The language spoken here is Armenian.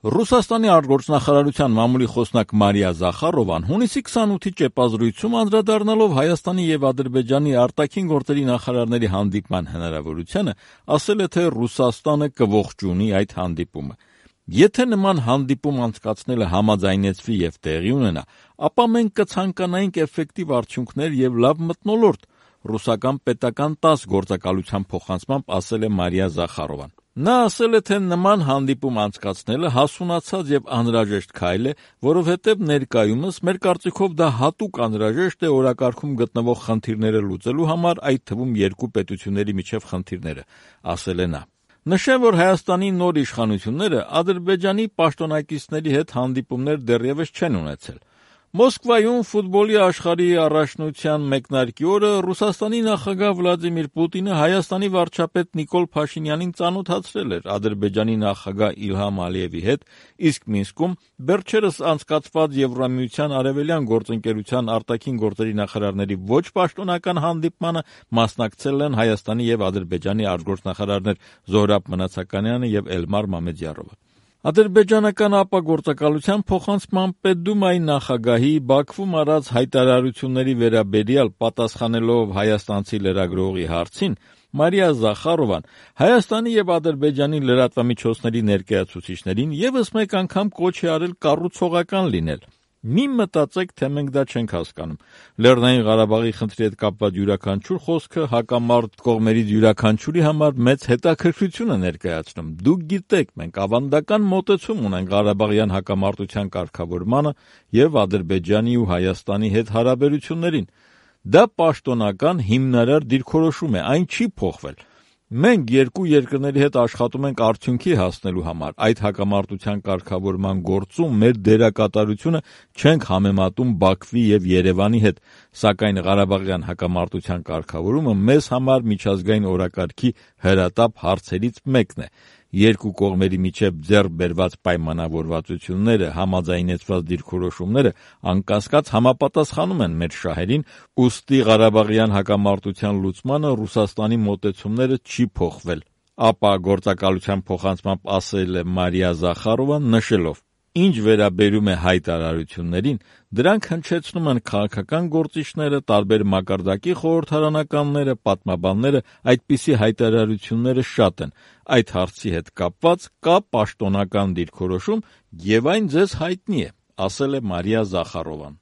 Ռուսաստանի արտգործնախարարության մամուլի խոսնակ Մարիա Զախարովան հունիսի 28-ի ճեպազրույցում անդրադառնալով Հայաստանի եւ Ադրբեջանի արտաքին գործերի նախարարների հանդիպման հնարավորությանը, ասել է, թե Ռուսաստանը կողջունի այդ հանդիպումը։ Եթե նման հանդիպում անցկացնելը համաձայնեցվի եւ տեղի ունենա, ապա մենք կցանկանայինք էֆեկտիվ արդյունքներ եւ լավ մթնոլորտ, ռուսական պետական 10 գործակալության փոխանցմամբ ասել է Մարիա Զախարովան։ Նա ասել է, թե նման հանդիպում անցկացնելը հասունացած եւ անհրաժեշտ քայլ է, որովհետեւ ներկայումս մեր կարծիքով դա հատուկ անհրաժեշտ է օրակարգում գտնվող խնդիրները լուծելու համար, այդ թվում երկու պետությունների միջև խնդիրները, ասել է նա։ Նշեմ, որ Հայաստանի նոր իշխանությունները Ադրբեջանի պաշտոնակիցների հետ հանդիպումներ դեռևս չեն ունեցել։ Մոսկվայում ֆուտբոլի աշխարհի առաջնության մեկնարկի օրը Ռուսաստանի նախագահ Վլադիմիր Պուտինը Հայաստանի վարչապետ Նիկոլ Փաշինյանին ծանոթացրել էր Ադրբեջանի նախագահ Իլհամ Ալիևի հետ, իսկ Մինսկում վերջերս անցկացված Եվրամիության արևելյան գործընկերության արտաքին գործերի նախարարների ոչ պաշտոնական հանդիպմանը մասնակցել են Հայաստանի եւ Ադրբեջանի արտգործնախարարներ Զոհրաբ Մնացականյանը եւ Էլմար Մամեդյարովը։ Ադրբեջանական ապագործակալության փոխանցման պետդումայի նախագահի Բաքվում արած հայտարարությունների վերաբերյալ պատասխանելով հայաստանցի լրագրողի հարցին, Մարիա Զախարովան Հայաստանի եւ Ադրբեջանի լրատվամիջոցների ներկայացուցիչներին եւս մեկ անգամ կոչ է արել կառուցողական լինել։ Մի մտածեք, թե մենք դա չենք հասկանում։ Լեռնային Ղարաբաղի խնդրի հետ կապված յուրաքանչյուր խոսքը հակամարտ կողմերից յուրաքանչյուրի համար մեծ հետաքրքրություն է ներկայացնում։ Դուք գիտեք, մենք ավանդական մոտեցում ունենք Ղարաբաղյան հակամարտության կարգավորմանը եւ Ադրբեջանի ու Հայաստանի հետ հարաբերություններին։ Դա պաշտոնական հիմնարար դիրքորոշում է, այն չի փոխվել։ Մենք երկու երկրների հետ աշխատում ենք արդյունքի հասնելու համար, այդ հակամարտության կարգավորման գործում մեր դերակատարությունը չենք համեմատում Բաքվի եւ Երևանի հետ, սակայն Ղարաբաղյան հակամարտության կարգավորումը մեզ համար միջազգային օրակարգի հրատապ հարցերից մեկն է։ Երկու կողմերի միջև ձեռք բերված պայմանավորվածությունները, համաձայնեցված դիրքորոշումները անկասկած համապատասխանում են մեր շահերին, ուստի Ղարաբաղյան հակամարտության լուծմանը Ռուսաստանի մոտեցումները չի փոխվել, ապա գործակալության փոխանցմամբ ասել է Մարիա Զախարովան, նշելով. Ինչ վերաբերում է հայտարարություններին, դրանք հնչեցնում են քաղաքական գործիչները, տարբեր մակարդակի խորհրդարանականները, պատմաբանները, այդպիսի հայտարարությունները շատ են։ Այդ հարցի հետ կապված կա պաշտոնական դիրքորոշում եւ այն ձեզ հայտնի է, ասել է Մարիա Զախարովան։